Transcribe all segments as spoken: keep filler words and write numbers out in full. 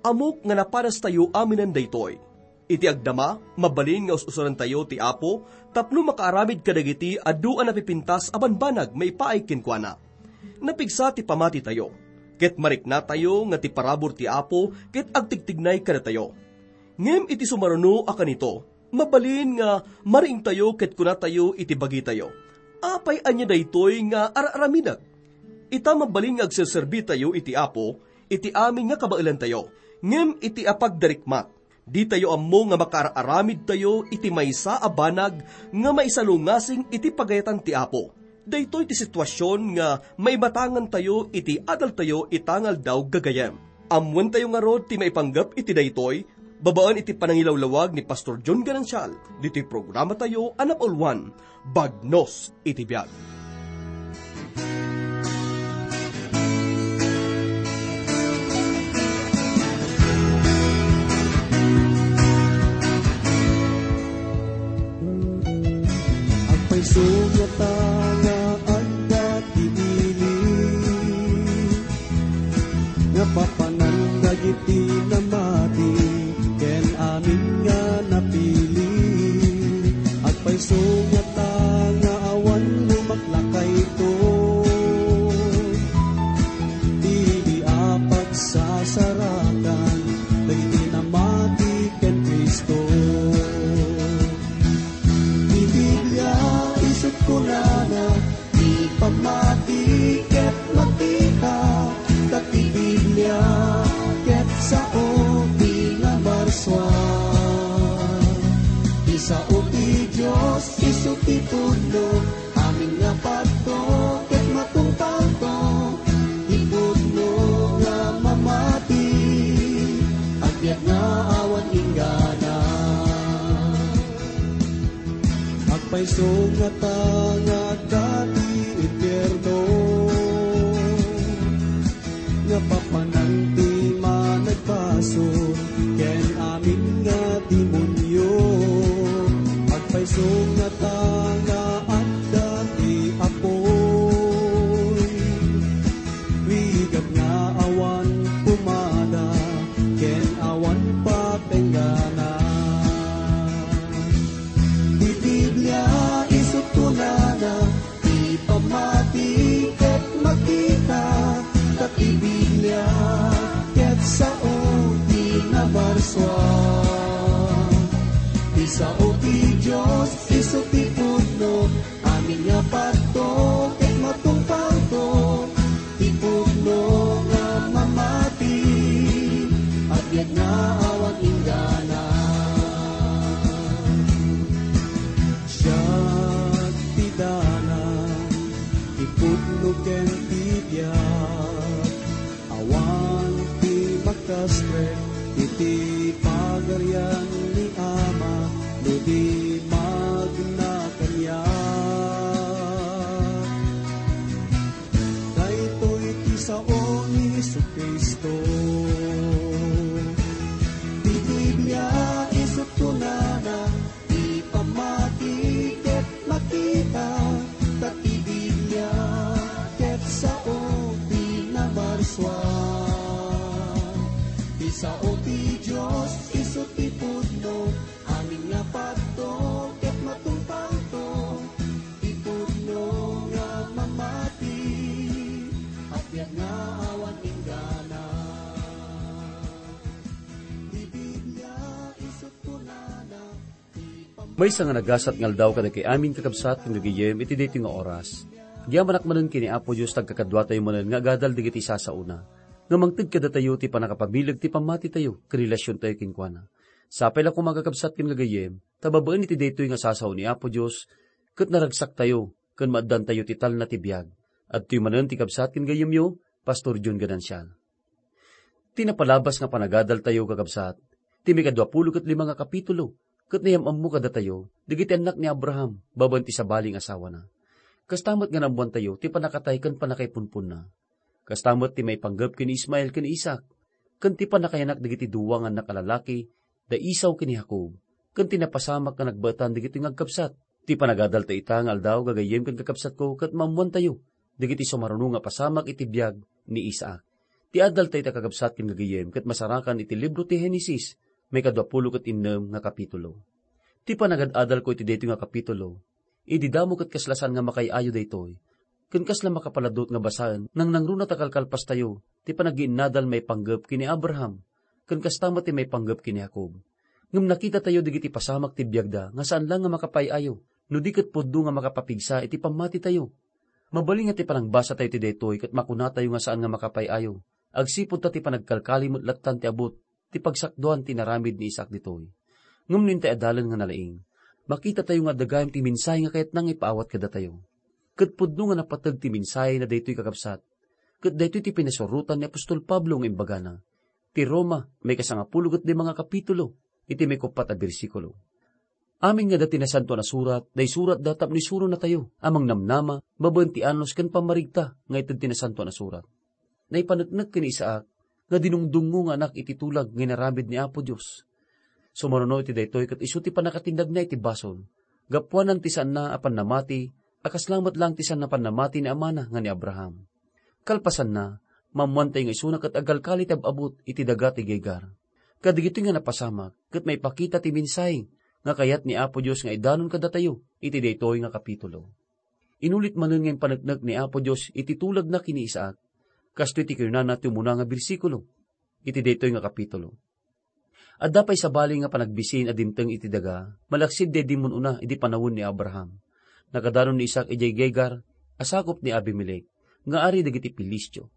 Ammok nga napadastayo aminen daytoy. Iti agdama, mabalin nga us-usarantayo ti Apo tapno makaaramid kadagiti adu a napipintas a banbanag maipaay kenkuana. Napigsa ti pamatitayo, ket mariknatayo nga ti parabur ti Apo ket agtigtignay kadatayo. Ngem iti sumaruno a kanito, mabalin nga mariingtayo ket kunatayo iti bagitayo, "Apay ania daytoy nga ar-aramidek?" Ita, mabalin nga agserserbitayo iti Apo iti amin nga kabaelantayo, ngem iti apagdarikmat, ditayo ammo nga makaar-aramidtayo iti maysa a banag nga maisalungasing iti pagayatan ti Apo. Daytoy ti situasion nga maimatangantayo iti adaltayo ita nga aldaw, gagayem. Ammoentayo ngarud ti maipanggep iti daytoy, babaen iti panangilawlawag ni Pastor John Ganancial, ditoy programatayo a napauluan, Bagnos iti Biag. Agpayso ngata nga adda ti ili nga papanan dagiti namati ken amin nga napili. Agpayso ngata nga awan lumaklakayto idi a pagsasarakan dagiti namati ken Cristo. Ti Biblia isut' kunana, ti pammati ket makita, ta ti Biblia ket sao ti nabarsua. Ti sao ti Dios isu ti pudno, amin nga padto ket matungpalto, ti pudno nga mamati, agbiag nga awan inggana. Agpayso ngata nga adda ti impierno, nga papanan ti managbasol ken amin nga demonio. Agpayso ngata nga adda ti apoy, rigat nga awan pumada ken awan patenggana. Ti Biblia isut' kunana, ti pammati ket makita, ta ti Biblia ket sao ti nabarsua. Ti sao ti Dios isu ti pudno, amin nga padto ket matungpalto, ti pudno nga mamati, agbiag nga awan inggana. Siak ti dalan, ti pudno ken ti biag. Awan ti makastrek iti Pagarian ni Ama no di magna kaniak. Daytoy ti sao ni Jesu-Cristo. Ti Biblia isut' kunana, ti pammati ket makita, ta ti Biblia ket sao ti nabarsua. Ti sao ti Dios isu ti pudno, amin nga padto ket matungpalto, ti pudno nga mamati, agbiag nga awan inggana. Ti Biblia isut' kunana, Maysa nga nagasat nga aldaw kadagiti amin, kakabsat ken gagayyem, iti daytoy nga oras. Agyamanak manen ken ni Apo Dios, ta agkakaduatayo manen nga agadal dagiti sasaona, nga mangted kadatayo ti pannakapamileg ti pammatitayo ken relasiontayo kenkuana. Sapay la koma, kakabsat ken gagayyem, ta babaen iti daytoy nga sasao ni Apo Dios, ket naragsaktayo ken maaddantayo ti talna ti biag. Adtoy manen ti kabsat ken gayyemyo, Pastor John Ganancial. Ti napalabas nga panagadaltayo, kakabsat, ti mikadua pulo ket lima nga kapitulo, ket nayam-ammo kadatayo dagiti annak ni Abraham babaen ti sabali nga asawana. Kasta met nga naammoantayo ti pannakatay ken pannakaipunponna. Kasta met ti maipanggep ken ni Ismael ken ni Isaac, ken ti pannakayanak dagiti dua nga annak a lalaki, da Esau ken ni Jacob, ken ti napasamak nga nagbaetan dagiti nga agkabsat. Ti panagadalta ita nga aldaw, gagayyem ken kakabsatko, ket maammoantayo dagiti sumaruno nga pasamak iti biag ni Isaac. Ti adal tayo, kakabsat ken gagayyem, ket masarakan iti libro ti Genesis, maikadua pulo ket innem nga kapitulo. Ti panagad-adalko iti daytoy nga kapitulo, idi damo ket kasla saan nga makaay-ayo daytoy, ken kasla makapaladut nga basaen, nangnangruna ta kalkalpastayo ti panagiinnadal maipanggep ken ni Abraham, ken kasta met ti maipanggep ken ni Jacob. Ngem nakitatayo dagiti pasamak ti biagda nga saan laeng nga makapaay-ayo, no di ket pudno nga makapapigsa iti pammatitayo. Mabalin nga ti panangbasatayo iti daytoy ket makunatayo nga saan nga makapaay-ayo, agsipud ta ti panagkalkali met lattan ti abut ti pagsakduan ti inaramid ni Isaac ditoy. Ngem no intay adalen nga nalaing, makitatayo nga adda gayam ti mensahe nga kayatna nga ipaawat kadatayo. Ket pudno nga napateg ti mensahe na daytoy, kakabsat, ket daytoy ti pinasurotan ni apostol Pablo nga imbagana. Ti Roma, maikasangapulo ket lima nga kapitulo, iti maikuppat a bersikulo. Amin nga adda ti Nasantoan a Surat, daysuratda tapno isuronatayo a mangnamnama babaen ti anus ken pammarigta nga ited ti Nasantoan a Surat. Naipaneknek ken ni Isaac nga dinungdungngo nga anak iti tulag nga inaramid ni Apo Dios. Sumaruno iti daytoy ket isu ti pannakatindagna iti basol, gapuanan ti saanna a pannamati a kasla met laeng ti saanna a pannamati ni amana nga ni Abraham. Kalpasanna, maammoantayo nga isuna ket agkalkali ti ab-abut iti daga ti Gegar. Kadagitoy nga napasamak ket maipakita ti mensahe nga kayat ni Apo Dios nga idanon kadatayo iti daytoy nga kapitulo. Inulit manen nga impaneknek ni Apo Dios iti tulagna ken ni Isaac. Kastoy ti kinunana ti umuna nga bersikulo iti daytoy nga kapitulo. Adda pay sabali nga panagbisin a dimteng iti daga, malaksid daydi mun-una idi panawen ni Abraham. Nakadanon ni Isaac idiay Gegar a sakup ni Abimelec, nga ari dagiti Filistio.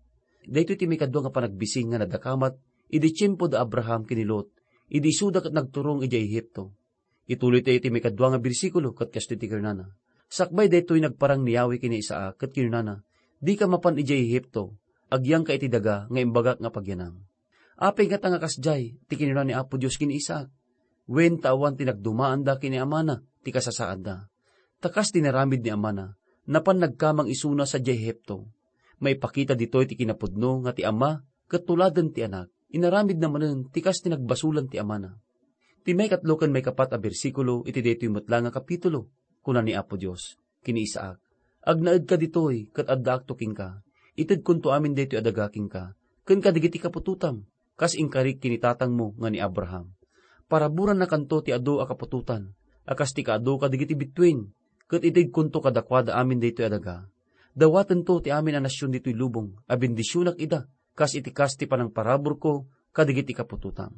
Daytoy ti maikadua nga panagbisin nga nadakamat idi tiempo da Abraham ken ni Lot, idi isuda ket nagturong idiay Egipto. Ituloytayo iti maikadua nga bersikulo ket kastoy ti kinunana, "Sakbay daytoy nagparang ni Yahweh ken ni Isaac ket kinunana, 'Dika mapan idiay Egipto, agyangka iti daga nga imbagak nga pagyanam.'" Apay ngata nga kasdiay ti kinuna ni Apo Dios ken ni Isaac? Wen ta awan ti nagdumaanda ken ni amana ti kasasaadda. Ta kas ti inaramid ni amana, napan nagkamang isuna sadiay Egipto. Maipakita ditoy ti kinapudno nga ti ama ket tuladen ti anak. Inaramidna manen ti kas ti nagbasolan ti amana. Ti maikatlo ken maikapat a bersikulo iti daytoy met la nga kapitulo, kuna ni Apo Dios ken ni Isaac, "Agnaedka ditoy ket addaakto kenka. Itedkonto amin daytoy a daga kenka ken kadagiti kaputotam, kas inkarik ken ni tatangmo nga ni Abraham. Paraburannakanto ti adu a kaputotan a kas ti kaadu kadagiti bituen, ket itedkonto kadakuada amin daytoy a daga. Dawatento ti amin a nasion ditoy lubong a bendisionak ida, kas iti kas ti panangparaburko kadagiti kaputotam."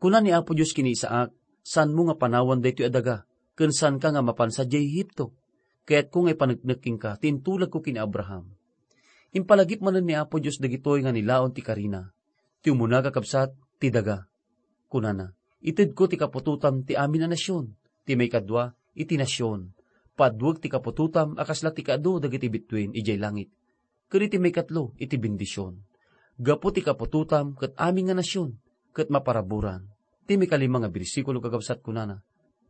Kuna ni Apo Dios ken ni Isaac, "Saanmo nga panawan daytoy a daga, ken saanka nga mapan sadiay Egipto. Kayatko nga ipaneknek kenka ti intulagko ken ni Abraham." Impalagip manen ni Apo Dios dagitoy nga nilaon ti karina. Ti umuna, kakabsat, ti daga. Kunana, "Itedko ti kaputotam ti amin a nasion." Ti maikadua, iti nasion. Paduek ti kaputotam a kasla ti kaadu dagiti bituen idiay langit. Ken iti maikatlo, iti bendision. Gapu ti kaputotam ket amin nga nasion, ket maparaburan. Ti maikalima nga bersikulo, kakabsat, kunana,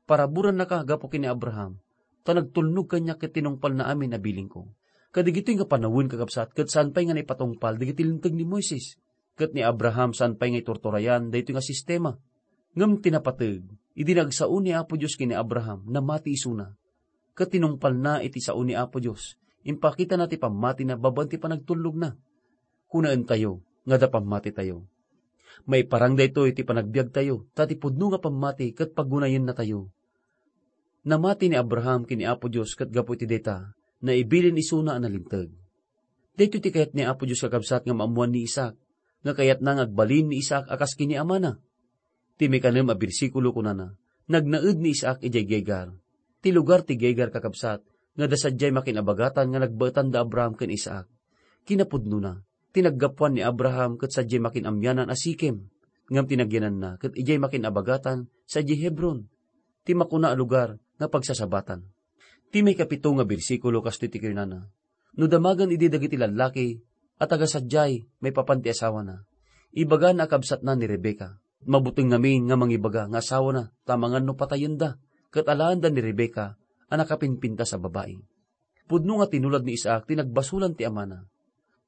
"Paraburannaka gapu ken ni Abraham, ta nagtulnog kaniak ket tinungpalna amin a bilingko." Kadagitoy nga panawen, kakabsat, ket saan pay nga naipatungpal dagiti linteg ni Moises. Ket ni Abraham saan pay nga iturturayan daytoy nga sistema. Ngem ti napateg, idi nagsao ni Apo Dios ken ni Abraham, namati isuna. Ket tinungpalna iti sao ni Apo Dios, impakitana ti pammatina babaen ti panagtulnogna. Kunaentayo nga adda pammatitayo. Maiparang daytoy iti panagbiagtayo, ta ti pudno nga pammati ket pagunayennatayo. Namati ni Abraham ken ni Apo Dios ket gapu iti dayta, naibilin isuna a nalinteg. Daytoy ti kayat ni Apo Dios, kakabsat, nga maammoan ni Isaac, nga kayatna nga agbalin ni Isaac a kas ken ni amana. Ti maikanem a bersikulo kunana, "Nagnaed ni Isaac idiay Gegar." Ti lugar ti Gegar, kakabsat, nga adda sadiay makin-abagatan nga nagbaetan da Abraham ken Isaac. Kinapudnona, ti naggapuan ni Abraham ket sadiay makin-amyanan a Sikem, ngem ti nagyananna ket idiay makin-abagatan sadiay Hebron, ti makuna a lugar nga pagsasabatan. Ti maikapito nga bersikulo kastoy ti kinunana, "No damagen idi dagiti lallaki a taga sadiay maipapan ti asawana, ibagana a kabsatna ni Rebecca. Mabuteng ngamin nga mangibaga nga asawana ta amangan no patayenda, ket alaenda ni Rebecca a nakapimpintas a babai." Pudno nga tinulag ni Isaac ti nagbasolan ti amana.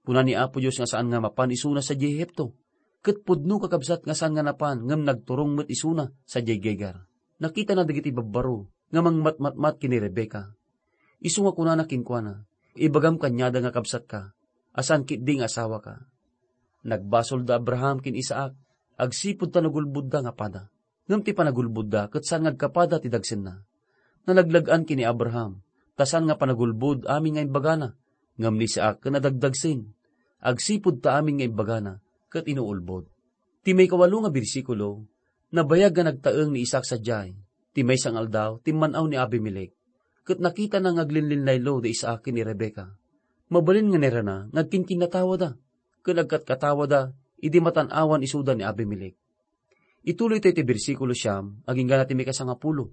Kuna ni Apo Dios nga saan nga mapan isuna sadiay Egipto, ket pudno, kakabsat, nga saan nga napan ngem nagturong met isuna sadiay Gegar. Nakitana dagiti babbaro nga mangmatmatmat ken ni Rebecca. Isu nga kunana kenkuana, "Ibagam kaniada nga kabsatka, a saan ketdi nga asawaka." Nagbasol da Abraham ken Isaac agsipud ta nagulbodda nga pada. Ngem ti panagulbodda ket saan nga agkapada ti dagsenna. Nalaglag-an ken ni Abraham, ta saan nga panagulbod amin nga imbagana, ngem ni Isaac ket nadagdagsen, agsipud ta amin nga imbagana ket inuulbod. Ti maikawalo nga bersikulo, nabayag nga nagtaeng ni Isaac sadiay. Ti maysa nga aldaw, timman-aw ni Abimelec, ket nakitana nga aglinlinlaylo da Isaac ken ni Rebecca. Mabalin nga nairana nga agkinkinnatawada, ken agkatkatawada idi matan-awan isuda ni Abimelec. Ituloy tayo ti bersikulo siam, agingga na ti mikasangapulo.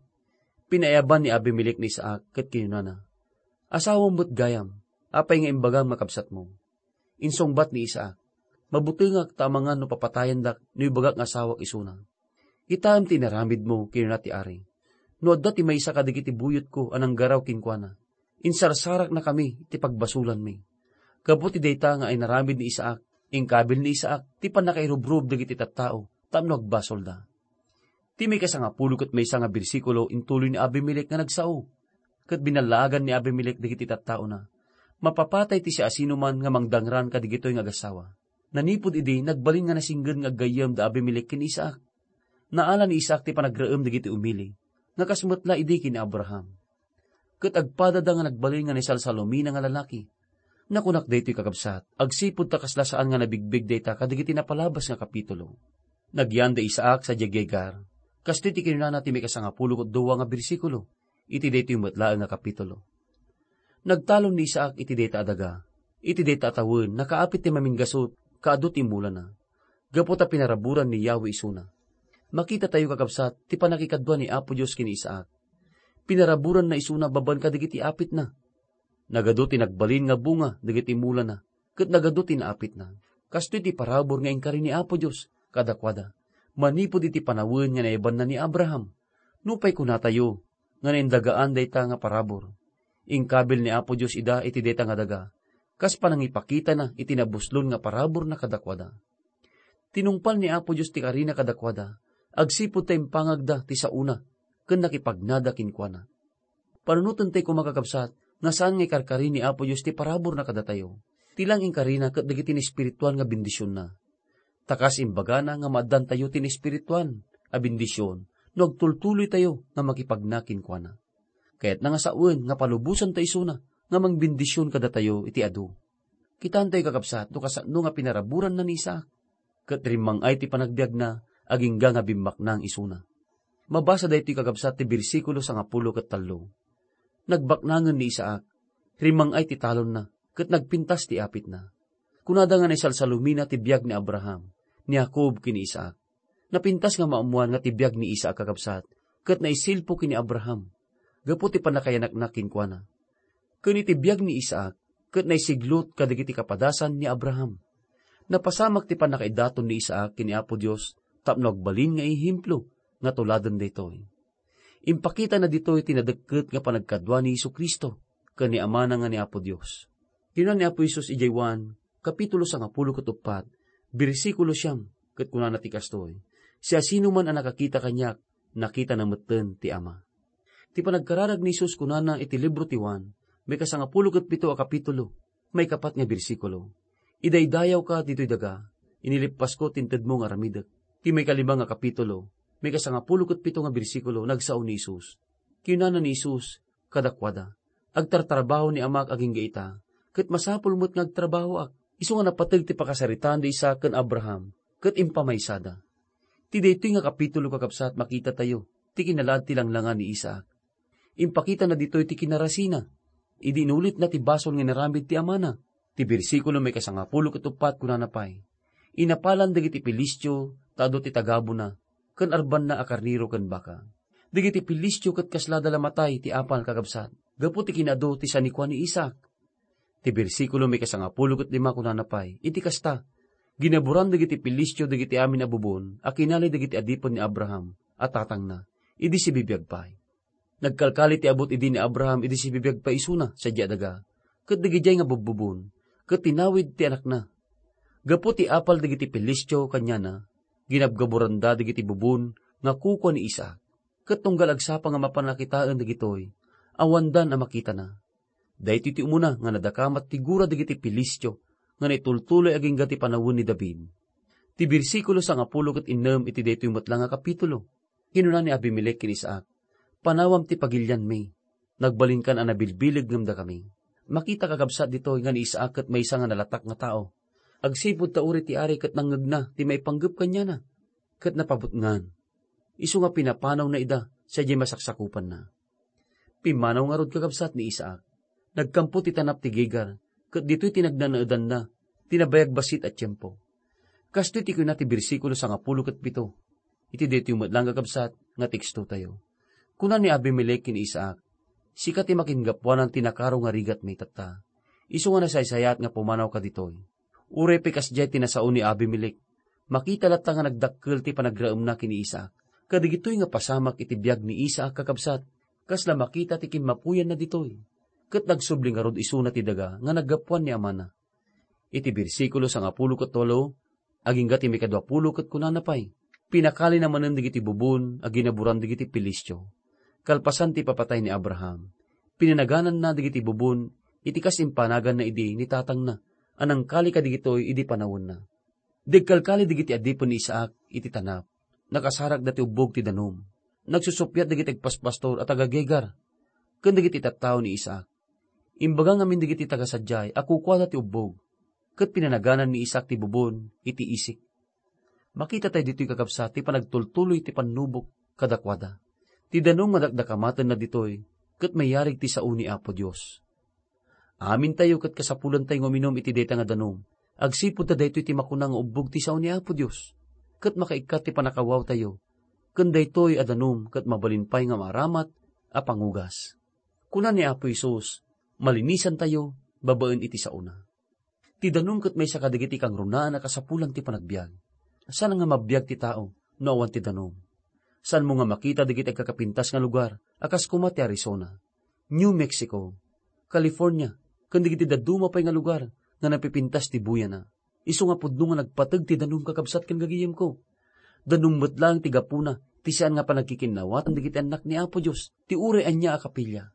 Pinaiyaban ni Abimelec ni Isaac ket kinunana, "Asawam met gayam, apay nga imbagam nga kabsatmo?" Insungbat ni Isaac, "Mabutengak ta amangan no papatayandak no ibagak nga asawak isuna. Kitaem ti inaramidmo," kinuna ti ari. "No adda ti maysa kadagiti buyotko a nanggaraw kenkuana, insarsaraknakami ti pagbasolanmi." Gapu ti dayta nga inaramid ni Isaac, inkabil ni Isaac ti pannakairubrub dagiti tattao tapno agbasolda. Ti mikasangapulo ket maysa nga bersikulo intuloy ni Abimelec nga nagsao, ket binallaagan ni Abimelec dagiti tattaona. Mapapatay ti siasinoman nga mangdangran kadagitoy nga agassawa. Nanipud idi, nagbalin nga nasinged nga aggayyem da Abimelec ken Isaac. Naala ni Isaac ti panagraem dagiti umili, nga kas met la idi ken ni Abraham. Ket agpadada nga nagbalin nga naisalsalumina nga lalaki. Nakunak daytoy, kakabsat, agsipud ta kasla saan nga nabigbig dayta kadagiti napalabas nga kapitulo. Nagyan da Isaac sadiay Gerar. Kastoy ti kinunana ti mikasangapulo ket dua nga bersikulo iti daytoy met laeng nga kapitulo. Nagtalon ni Isaac iti dayta a daga. Iti dayta a tawen, nakaapit ti maminggasut, kaadu ti imulana. Gapu ta pinaraburan ni Yahweh isuna. Makitatayo, kakabsat, ti pannakikadua ni Apo Dios ken ni Isaac. Pinaraburanna isuna babaen kadagiti apitna. Nagadu ti nagbalin nga bunga dagiti imulana, ket nagadu ti naapitna. Kastoy ti parabur nga inkari ni Apo Dios kadakuada, manipud iti panawen nga naiyabanna ni Abraham. Nupay kunatayo nga naindagaan dayta nga parabur, inkabil ni Apo Dios ida iti dayta nga daga, kas panangipakitana iti nabuslon nga paraburna kadakuada. Tinungpal ni Apo Dios ti karina kadakuada, agsipud ta impangagda ti saona ken nakipagnada kenkuana. Panunotentayo koma, kakabsat, nga saan nga ikarkari ni Apo Dios ti paraburna kadatayo. Ti lang inkarina ket dagiti naespirituan nga bendisionna. Ta kas imbagana nga maaddantayo ti naespirituan a bendision no agtultuloytayo nga makipagna kenkuana. Kayatna nga sawen nga palubosanta isuna nga mangbendision kadatayo iti adu. Kitaentayo, kakabsat, no kasano nga pinaraburanna ni Isaac, ket rimmang-ay ti panagbiagna agingga nga bimmaknang isuna. Mabasa daytoy, kakabsat, ti bersikulo sangapulo ket tallo. Nagbaknangen ni Isaac, rimmang-ay ti talonna, ket nagpintas ti apitna. Kunada nga naisalsalumina ti biag ni Abraham, ni Jacob ken ni Isaac. Napintas nga maammoan nga ti biag ni Isaac, kakabsat, ket naisilpo ken ni Abraham, gapu ti pannakayanakna kenkuana. Ken iti biag ni Isaac, ket naisiglot kadagiti kapadasan ni Abraham. Napasamak ti pannakaidaton ni Isaac ken ni Apo Dios tapno agbalin nga ehemplo nga tuladen daytoy. Impakitana ditoy ti nadekket nga panagkadua ni Jesu-Cristo ken ni Amana nga ni Apo Dios. Kinuna ni Apo Jesus idiay Juan, kapitulo sangapulo ket uppat, bersikulo siam, ket kunana ti kastoy, "Siasinoman a nakakita kaniak, nakitana metten ti Ama." Ti panagkararag ni Jesus kunana iti libro ti Juan, maikasangapulo ket pito a kapitulo, maikapat nga bersikulo, "Idaydayawka ditoy daga, inilippasko ti intedmo nga aramidek." Ti maikalima nga kapitulo, maikasangapulo ket pito nga bersikulo, nagsao ni Jesus. Kinunana ni Jesus kadakuada, "Agtartrabaho ni Amak agingga ita, ket masapul met nga agtrabahoak." Isu nga napateg ti pakasaritaan da Isaac ken Abraham, ket impamaysada. Ti daytoy nga kapitulo, kakabsat, makitatayo ti kinalaad ti langlangan ni Isaac. Impakitana ditoy ti kinarasina idi inulitna ti basol nga inaramid ti amana. Ti bersikulo maikasangapulo ket uppat kunana pay, "Inapalan dagiti Filistio ta adu ti tagabuna ken arbanna a karnero ken baka." Dagiti Filistio ket kaslada la matay ti apal, kakabsat, gapu ti kinaadu ti sanikua ni Isaac. Ti bersikulo maikasangapulo ket lima kunana pay, "Iti kasta, ginaburan dagiti Filistio dagiti amin a bubon a kinali dagiti adipen ni Abraham a tatangna, idi sibibiag pay." Nagkalkali ti abut idi ni Abraham idi sibibiag pay isuna sadiay a daga, ket dagidiay nga bubbubon, ket tinawid ti anakna. Gapu ti apal dagiti Filistio kaniana, ginabgaburanda dagiti bubon nga kukua ni Isaac. Ket tunggal agsapa nga mapan a kitaen dagitoy, awandan a makitana. Daytoy ti umuna nga nadakamat ti gura dagiti Filistio nga naitultuloy agingga ti panawen ni David. Ti bersikulo sangapulo ket innem iti daytoy met la nga kapitulo. Kinuna ni Abimelec ken Isaac, "Panawam ti pagilianmi. Nagbalinkan a nabilbileg ngem dakami." Makita, kakabsat, ditoy nga ni Isaac ket maysa nga nalatak nga tao. Agsipud ta uray ti ari ket nangngegna ti maipanggep kaniana, ket napabutngan. Isu nga pinapanawna ida sadiay masaksakupanna. Pimmanaw ngarud, kakabsat, ni Isaac. Nagkampo ti tanap ti Gerar, ket ditoy ti nagnanaedanna ti nabayag bassit a tiempo. Kastoy ti kuna ti bersikulo sangapulo ket pito iti daytoy met la nga, kakabsat, nga tekstotayo. Kuna ni Abimelec ken Isaac, "Sika ti makingapuanan ti nakaro nga rigatmi tatta. Isu nga nasaysayaat nga pumanawka ditoy." Uray pay kasdiay ti nasao ni Abimelec, makita latta nga nagdakkel ti panagraemna ken ni Isaac. Kadagitoy nga pasamak iti biag ni Isaac, kakabsat, kasla makita ti kinmapuyanna ditoy. Ket nagsubli ngarud isuna ti daga nga naggapuan ni amana. Iti bersikulo sangapulo ket walo, agingga ti maikadua pulo ket kunana pay, "Pinakalina manen dagiti bubon a ginaburan dagiti Filistio, kalpasan ti ipapatay ni Abraham. Pinanagananna dagiti bubon iti kas impanaganna idi ni tatangna, a nangkali kadagitoy idi panawenna." Dagkalkali dagiti adipen ni Isaac iti tanap. Nakasarakda ti ubbog ti danum. Nagsusuppiat dagiti agpaspastor a taga-Gerar ken dagiti tattao ni Isaac. Imbaga ngamin dagiti taga sadiay a kukuada ti ubbog, ket pinanaganan ni Isaac ti bubon iti isik. Makita tayo ditoy, kakabsat, ti panagtultuloy ti pannubok kadakuada. Ti danum nga dakdakamatenna ditoy ket mayarig ti sao ni Apo Dios. Amintayo ket kasapulantayo nga uminum iti dayta nga danum, agsipud ta daytoy ti makuna nga ubbog ti sao ni Apo Dios, ket makaikkat ti pannakawawtayo ken daytoy a danum ket mabalin pay nga maaramat a pangugas. Kuna ni Apo Jesus, "Malinisantayo babaen iti saona." Ti danum ket maysa kadagiti kangrunaan a kasapulan ti panagbiag. Saan nga mabiag ti tao no awan ti danum. Saanmo nga makita dagiti agkakapintas nga lugar a kas koma ti Arizona, New Mexico, California, ken dagiti dadduma pay nga lugar nga napipintas ti buyana. Isu nga pudno nga nagpateg ti danum, kakabsat ken gagayemko. Danum met laeng ti gapuna ti saan nga panagkikinnawatan dagiti annak ni Apo Dios, ti uray ania a kapilya.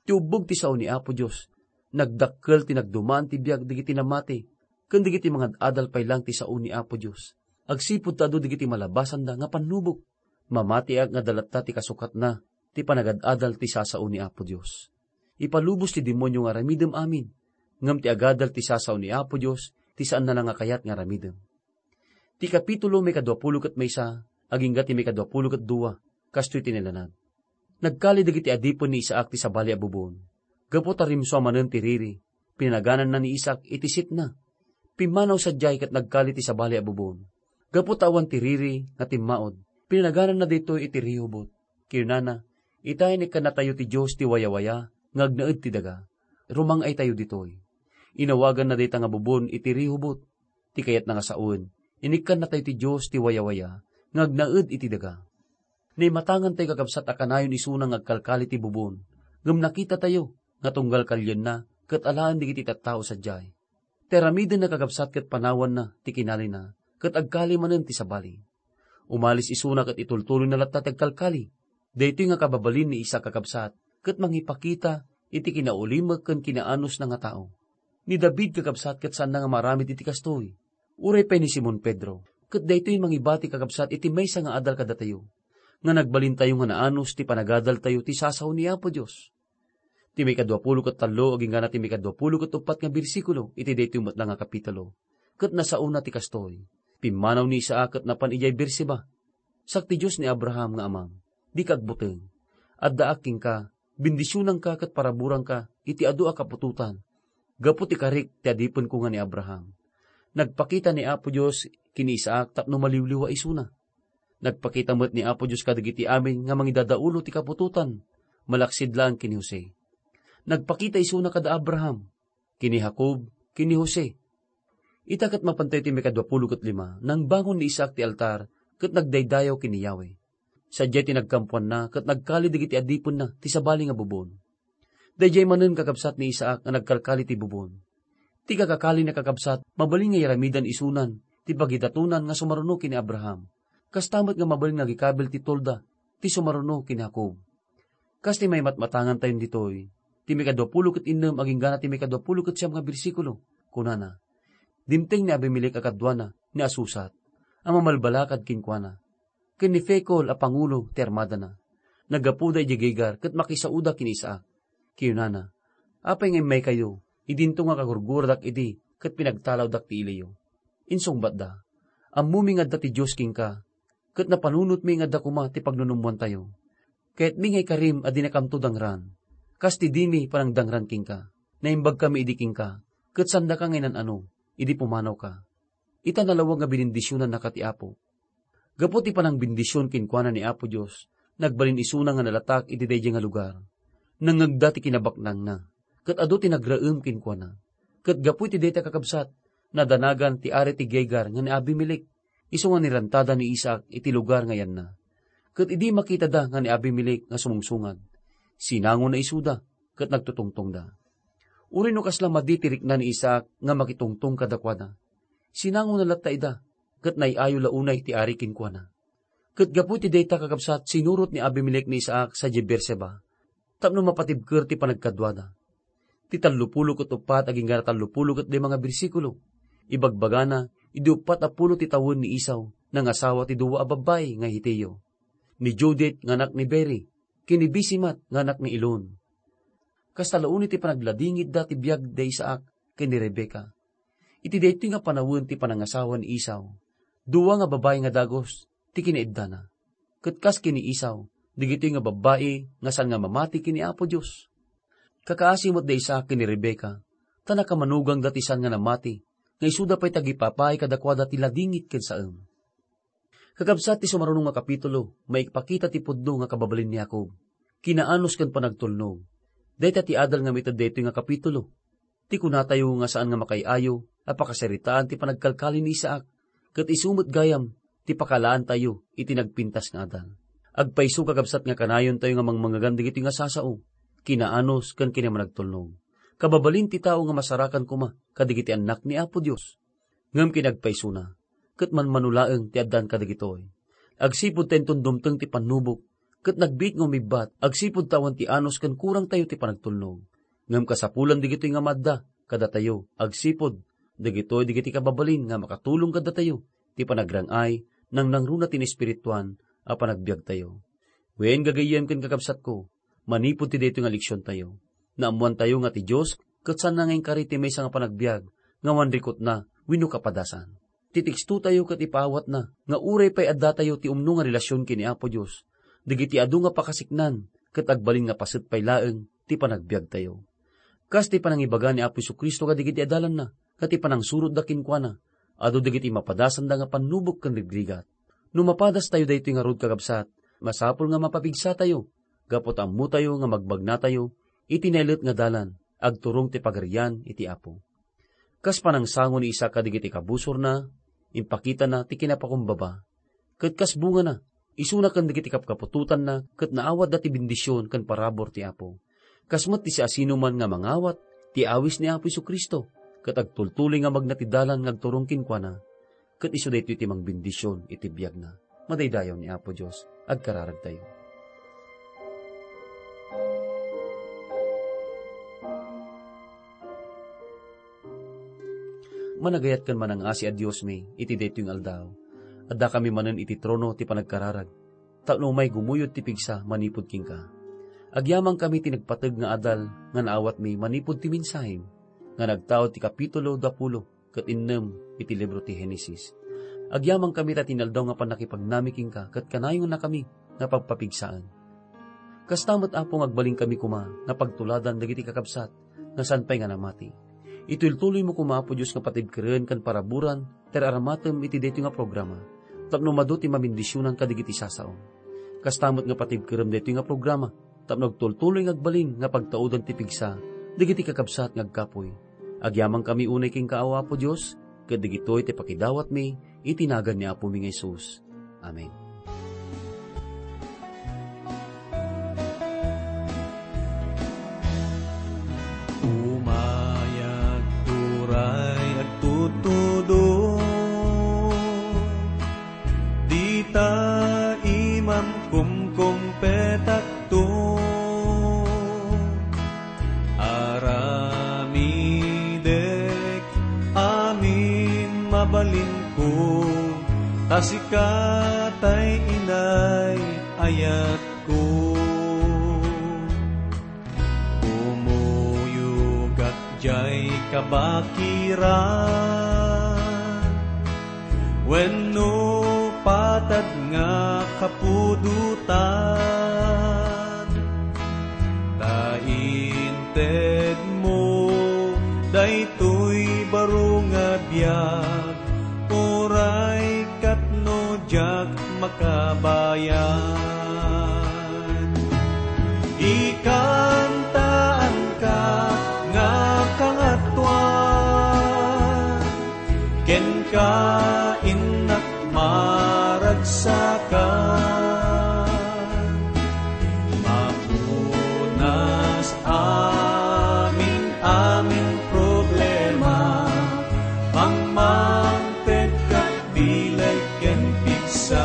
Ti ubbog ti sao ni Apo Dios, nagdakkel ti nagdumaan ti biag dagiti namati, ken dagiti mangad-adal pay laeng ti sao ni Apo Dios. Agsipud ta adu dagiti malabasanda nga pannubok. Mamatiak nga adda latta ti kasukatna ti panagad-adal ti sasao ni Apo Dios. Ipalubos ti demonio nga aramidem amin, ngem ti agadal ti sasao ni Apo Dios ti saanna la nga kayat nga aramidem. Ti kapitulo maikadua pulo ket maysa, agingga ti maikadua pulo ket dua, kastoy ti nailanad. Nagkali dagiti adipen ni Isaac ti sabali a bubon. Gapu ta rimsua manen ti riri, pinanagananna ni Isaac iti sitna. Pimmanaw sadiay ket nagkali ti sabali a bubon. Gapu ta awan ti riri nga timmaud, pinanagananna daytoy iti Rehobot. Kinunana, "Ita, inikkannatayo ti Dios ti wayawaya nga agnaed ti daga. Rumang-aytayo ditoy." Inawaganna dayta nga bubon iti Rehobot. Ti kayatna nga sawen, inikkannatayo ti Dios ti wayawaya nga agnaed iti daga. Naimatangantayo, kakabsat, a kanayon isuna nga agkalkali ti bubon, ngem nakitatayo nga tunggal kalienna ket alaen dagiti tattao sadiay. Ti aramidenna, kakabsat, ket panawanna ti kinalina, ket agkali manen ti sabali. Umalis isuna ket itultuloyna latta ti agkalkali. Daytoy nga kababalin ni Isaac, kakabsat, ket mangipakita iti kinaulimek ken kinaanosna nga tao. Ni David, kakabsat, ket saanna nga maaramid iti kastoy. Uray pay ni Simon Pedro, ket daytoy mangibati, kakabsat, iti maysa nga adal kadatayo, nga nagbalintayo nga naanos ti panagadaltayo ti sasao ni Apo Dios. Ti maikadua pulo ket tallo agingga ti maikadua pulo ket uppat nga bersikulo iti daytoy met la nga kapitulo, ket nasaona ti kastoy. Pimmanaw ni Isaac ket napan idiay Beerseba. Sakti Dios ni Abraham nga amam, dika agbuteng. Addaak kenka, bendisionanka ket paraburanka iti adu a kaputotan, gapu ti karik ti adipenko nga ni Abraham. Nagpakita ni Apo Dios ken ni Isaac tapno maliwliwa isuna. Nagpakita met ni Apo Dios kadagiti amin nga mangidadaulo ti kaputotan, malaksid laeng ken ni Jose. Nagpakita isuna kada Abraham, ken ni Jacob, ken ni Jose. Ita ket mapantayo ti maikadua pulo ket lima, nangbangon ni Isaac ti altar ket nagdaydayaw ken ni Yahweh. Sadiay ti nagkampuanna ket nagkali dagiti adipenna ti sabali nga bubon. Daydiay manen, kakabsat, ni Isaac nga nagkalkali ti bubon. Ti kakakalina, kakabsat, mabalin nga iramidan isunan ti pagidatonan nga sumaruno ken ni Abraham. Kasta met nga mabalin nga agikabil ti tolda ti sumaruno ken ni Jacob. Kas ti maimatmatangantayon ditoy, ti maikadua pulo ket innem agingga ti maikadua pulo ket siam nga bersikulo, kunana, Dimteng ni Abimelec a kaduana ni Asusat a mamalbalakad kenkuana, ken ni Ficol a pangulo ti armadana. Naggapuda idiay Gerar ket makisaoda ken ni Isaac. Kinunana, "Apay nga immaykayo idinto nga kagurguradak idi ket pinagtalawdak ti iliyo?" Insungbatda, "Ammomi nga adda ti Dios kenka, ket napanunotmi nga adda koma ti pagnunummoantayo. Kayatmi nga ikarim a dinakamto dangran, kas ti dimi panangdangran kenka. Naimbagkami idi kenka, ket saandaka nga inan-ano idi pumanawka. Ita nalawag nga binendisionannaka ti Apo." Gapu ti panangbendision kenkuana ni Apo Dios, nagbalin isuna nga nalatak iti daydiay nga lugar. Nangngegda ti kinabaknangna, ket adu ti nagraem kenkuana. Ket gapu iti dayta, kakabsat, nadanagan ti ari ti Gerar nga ni Abimelec, isu nga nirantada ni Isaac iti lugar nga yanna. Ket idi makitada nga ni Abimelec nga sumungsungad, sinangona isuda ket nagtutungtongda. Uray no kasla madi ti rikna ni Isaac nga makitungtong kadakuada, sinangona latta ida, ket nay-ayo la unay ti ari kenkuana. Ket gapu iti dayta, kakabsat, sinurot ni Abimelec ni Isaac sadiay Beerseba tapno mapatibker ti panagkaduada. Ti tallopulo ket uppat agingga tallopulo ket lima nga bersikulo, ibagbagana, idi uppat a pulo ti tawen ni Esau, nangasawa ti dua a babbai nga Hetio, ni Judith nga anak ni Beeri, ken ni Basemat nga anak ni Elon. Kasta la unay ti panagladingitda ti biag da Isaac ken ni Rebecca. Iti daytoy nga panawen ti panangasawa ni Esau, dua nga babbai nga dagus ti kinaiddana. Ket kas ken ni Esau, dagitoy nga babbai nga saan nga mamati ken ni Apo Dios. Kakaasi met da Isaac ken ni Rebecca, ta nakamanugangda ti saan nga namati, nga isuda pay ti agipapaay kadakuada ti ladingit ken saem. Kakabsat, ti sumaruno nga kapitulo, maipakita ti pudno nga kababalin ni Jacob, kinaanus ken panagtulnog. Dayta ti adal nga maited daytoy nga kapitulo. Ti kunatayo nga saan nga makaay-ayo a pakasaritaan ti panagkalkali ni Isaac, ket isu met gayam ti pakalaantayo iti nagpintas nga adal. Agpayso, kakabsat, nga kanayontayo nga mangmangegan dagitoy nga sasao, kinaanus ken kinamanagtulnog. Kababalin ti tao nga masarakan koma kadagiti annak ni Apo Dios. Ngem kinagpaysona, ket manmano laeng ti addan kadagitoy. Agsipud ta inton dumteng ti pannubok, ket nagbiit nga umibbat, agsipud ta awan ti anus ken kurangtayo ti panagtulnog. Ngem kasapulan dagitoy nga maadda kadatayo, agsipud dagitoy dagiti kababalin nga makatulong kadatayo ti panagrang-ay, nangnangruna ti naespirituan a panagbiagtayo. Wen, gagayyem ken kakabsatko, manipud ti daytoy nga leksiontayo, naammoantayo nga ti Dios ket saanna nga inkari ti maysa nga panagbiag nga awan rikutna wenno kapadasan. Ti tekstotayo ket ipaawatna nga uray pay addatayo ti umno nga relasion ken ni Apo Dios, dagiti adu nga pakasiknan ket agbalin nga paset pay laeng ti panagbiagtayo. Kas ti panangibaga ni Apo Jesu-Cristo kadagiti adalanna, ket ti panangsurotda kenkuana, adu dagiti mapadasanda nga pannubok ken rigrigat. No mapadastayo daytoy ngarud, kakabsat, masapul nga mapapigsatayo, gapu ta ammotayo nga magbagnatayo iti naillet nga dalan, agturong ti Pagarian iti Apo. Kas panangsango ni Isaac kadagiti kabusorna, impakitana ti kinapakumbaba. Ket kas bungana, isuna ken dagiti kapkaputotanna ket naawatda ti bendision ken parabur ti Apo. Kas met ti siasinoman nga mangawat ti awis ni Apo Jesu-Cristo ket agtultuloy nga magna ti dalan nga agturong kenkuana, ket isu daytoy ti mangbendision iti biagna. Madaydayaw ni Apo Dios. Agkararagtayo. Managayat ken manangasi a Diosmi iti daytoy nga aldaw. Addakami manen iti trono ti panagkararag, tapno umay gumuyod ti pigsa manipud kenka. Agyamankami ti nagpateg nga adal nga naawatmi manipud ti mensahem nga nagtaud ti kapitulo dapulo ket innem iti libro ti Genesis. Agyamankami ta ti inaldaw nga pannakipagnami kenka ket kanayonnakami nga pagpapigsaen. Kasta met, Apo, nga agbalinkami koma nga pagtuladan dagiti kakabsat nga saan pay nga namati. Itultuloymo koma, Apo Dios, nga patibkeren ken paraburan ti ar-aramatem iti daytoy nga programa, tapno madu ti mabendisionan kadagiti sasaom. Kasta met nga patibkerem daytoy nga programa, tapno agtultuloy nga agbalin nga pagtaudan ti pigsa dagiti kakabsat nga agkapuy. Agyamankami unay kenka, Apo Dios, ket dagitoy ti pakidawatmi iti nagan ni Apomi nga Jesus. Amen. Umayag turay agtutudong, dita imam kumkumpetakto. Aramidek amin A sika tay inay, ayatko, kumuyogak jay kabakiran wenno patad nga kapudotan. Ta intedmo daytoy baro nga biag, uray ket no diak makabayag. Ikantaanka nga kangatoan, kenka innak maragsakan. Mapunas amin-amin problema, mangmangpet ket bileg ken pigsa.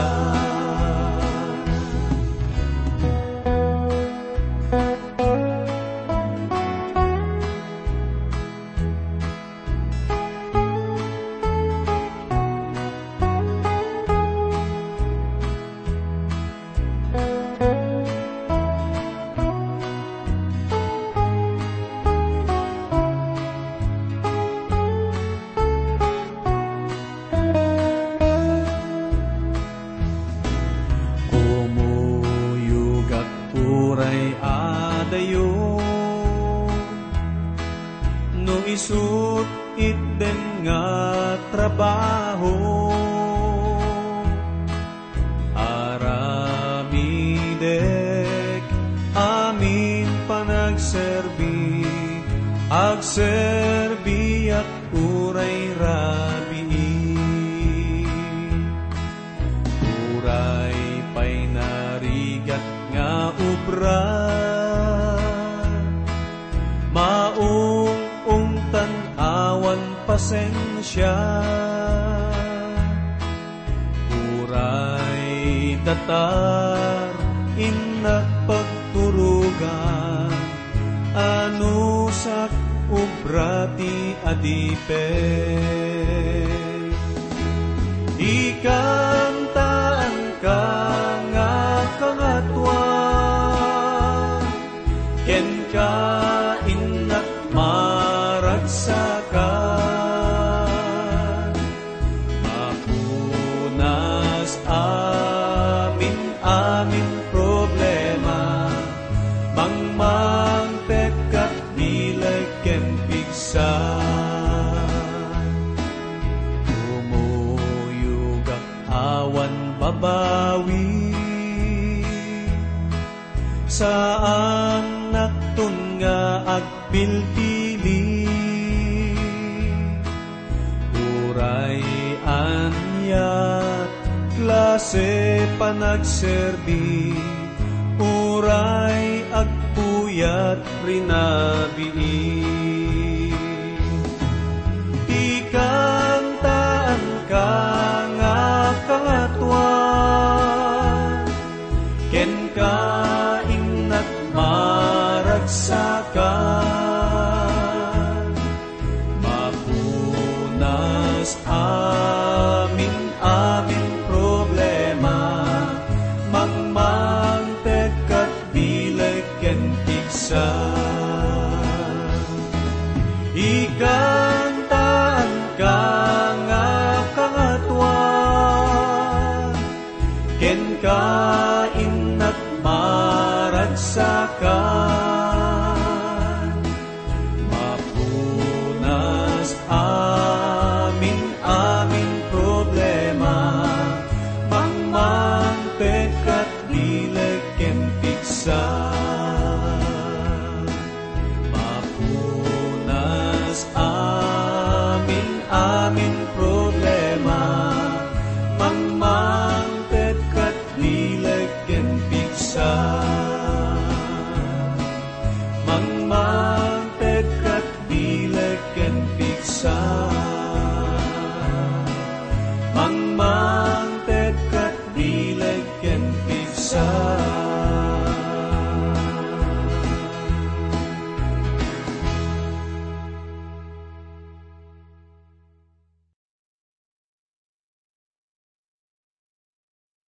Kumuyogak uray adayo, no isut' itden nga trabaho. Aramidek amin panagserbi, agserbiak uray rabii. Uray pay narigat nga obra, maung-ungtan awan pasensia. Uray datar innak pagturogan, anusak obra ti adipek. Ikantaanka nga kangatoan, kenka innak maragsakan. Mapunas amin-amin problema, mangmangpet ket bileg ken pigsa. Kumuyogak awan babawi, saannakton nga agpilpili. Uray ania klase panagserbi, uray agpuyat rinabii. Ikantaanka nga kangatoan, kenka innak maragsakan. Mapunas amin-amin problema, mangmangpet ket bileg ken pigsa. Ikantaanka nga kangatoan, kenka innak maragsakan. Mapunas amin-amin problema, mangmangpet ket bileg ken pigsa. Mapunas amin-amin problema, mangmangpet ket bileg ken pigsa. Mangmang